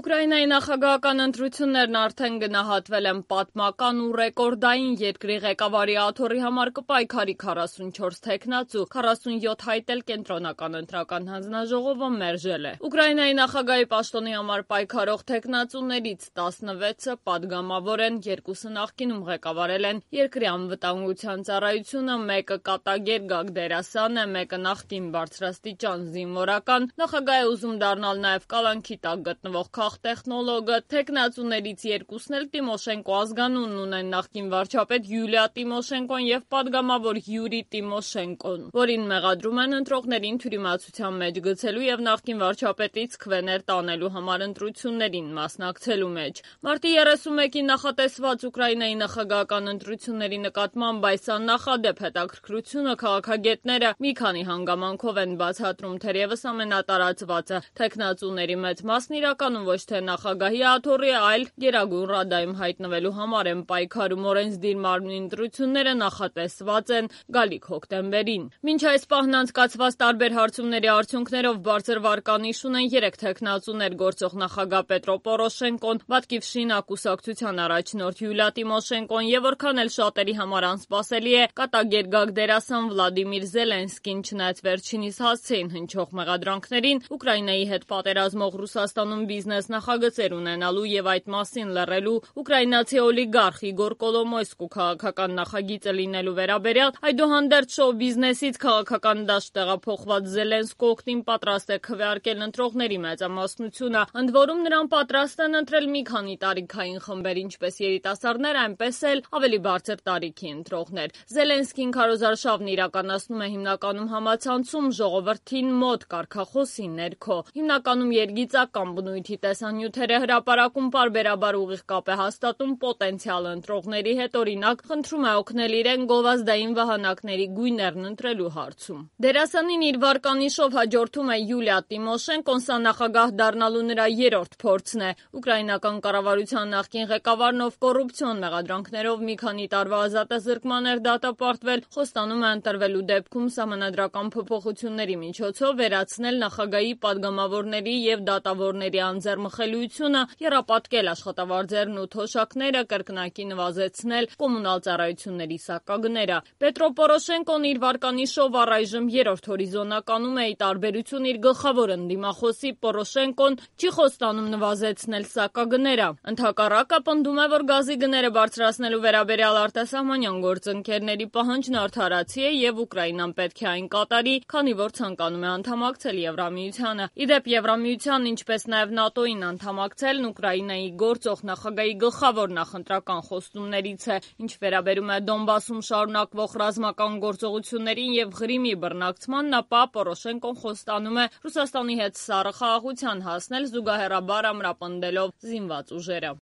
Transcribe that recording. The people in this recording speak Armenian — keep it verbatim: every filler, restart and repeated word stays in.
Ուկրաինայի նախագահական ընտրություններն արդեն գնահատվել են պատմական ու ռեկորդային երկրի ղեկավարի աթոռի համար կպայքարի քառասունչորս թեկնածու, քառասունյոթ հայտ էլ կենտրոնական ընտրական հանձնաժողովը մերժել է։ Ուկրաինայի նախագահի պաշտոնի համար պայքարող թեկնածուներից տասնվեցը պատգամավոր են, երկուսը նախկինում ղեկավարել են երկրի անվտանգության ծառայությունը, մեկը կատագեր Գագդերասան է, մեկը նախկին բարձրաստիճան զինվորական, նախագահ է ուզում դառնալ նաև կալանքի տակ գտնվող քաղտեխնոլոգը, թեկնածուներից երկուսն էլ Տիմոշենկո ազգանունն ունեն, նախկին վարչապետ Յուլիա Տիմոշենկոն եւ պատգամավոր Յուրի Տիմոշենկոն, որին մեղադրում են ընտրողներին թյուրիմացության մեջ գցելու եւ նախկին վարչապետից քվեներ տանելու համար ընտրություններին մասնակցելու մեջ։ Մարտի երեսունմեկին նախատեսված Ուկրաինայի նախագահական ընտրությունների նկատմամբ այս աննախադեպ հետաքրքրությունը քաղաքագետները մի քանի հանգամանքով են բացատրում, թերևս ամենատարածվածը թեկնածուների մեծ մասն իրականում ոչ թե նախագահի աթոռի, այլ Գերագույն ռադայում հայտնվելու համար են պայքարում, օրենսդիր մարմնի ընտրությունները նախատեսված են գալիք հոկտեմբերին։ Մինչ այս պահն անցկացված տարբեր հարցումների արդյունքներով բարձր վարկանիշ ունեն երեք թեկնածուներ՝ գործող նախագահ Պետրո Պորոշենկոն, Բատկիվշինա կուսակցության առաջնորդ Յուլիա Տիմոշենկոն եւ որքան էլ շատերի համար անսպասելի է, կատագեր Գագդերասան Վլադիմիր Զելենսկին, չնայած վերջինիս հասցեին հնչող մեղադրանքներին, Ուկրաինայի հետ պատերազմող Ռուսաստանում բիզնես նախագծեր ունենալու եւ այդ մասին լռելու ուկրաինացի օլիգարխ Իգոր Կոլոմոյսկու քաղաքական նախագիծը լինելու վերաբերյալ, այդուհանդերձ շոու բիզնեսից քաղաքական դաշտ տեղափոխված Զելենսկու օգտին պատրաստ է քվեարկել ընտրողների մեծամասնությունը, ընդ որում նրան պատրաստ են ընտրել մի քանի տարիքային խմբեր, ինչպես երիտասարդներ, այնպես էլ ավելի բարձր տարիքի ընտրողներ։ Զելենսկին քարոզարշավն իրականացնում է հիմնականում համացանցում, ժողովրդին մոտ, կարգախոսի ներքո, հիմնականում երգիծական բնույթի տեսանյութերը հրապարակում պարբերաբար ուղիղ կապ է հաստատում պոտենցիալ ընտրողների հետ, օրինակ խնդրում է օգնել իրեն գովազդային վահանակների գույներն ընտրելու հարցում։ Դերասանին իր վարկանիշով հաջորդում է Յուլիա Տիմոշենկոն, սա նախագահ դառնալու նրա երրորդ փորձն է։ Ուկրաինական կառավարության նախկին ղեկավարն, ով կոռուպցիոն մեղադրանքներով մի քանի տարվա ազատազրկման էր դատապարտվել, խոստանում է ընտրվելու դեպքում սահմանադրական փոփոխությունների միջոցով վերացնել նախագահի պատգամավորների եւ դատավորների անձեռմխելիությունը, եռապատկել աշխատավարձերն ու թոշակները, կրկնակի նվազեցնել կոմունալ ծառայությունների սակագները։ Պետրո Պորոշենկոն իր վարկանիշով առայժմ երրորդ հորիզոնականում է, ի տարբերություն իր գլխավոր ընդդիմախոսի Պորոշենկոն չի խոստանում նվազեցնել սակագները։ Ընդհակառակը պնդում է, որ գազի գները բարձրացնելու վերաբերյալ արտասահմանյան գործընկերների պահանջն արդարացի է եւ Ուկրաինան պետք է այն կատարի, քանի որ ցանկանում է անդամակցել Եվրամիությանը։ Ի դեպ, Եվրամիությանն, ինչպես նաև ՆԱՏՕ-ին անդամակցելն Ուկրաինայի գործող նախագահի գլխավոր նախընտրական խոստումներից է։ Ինչ վերաբերում է Դոնբասում շարունակվող ռազմական գործողություններին եւ Ղրիմի բռնակցմանն, ապա Պորոշենկոն խոստանում է Ռուսաստանի հետ սառը խաղաղության հասնել, զուգահեռաբար ամրապնդելով զինված ուժերը։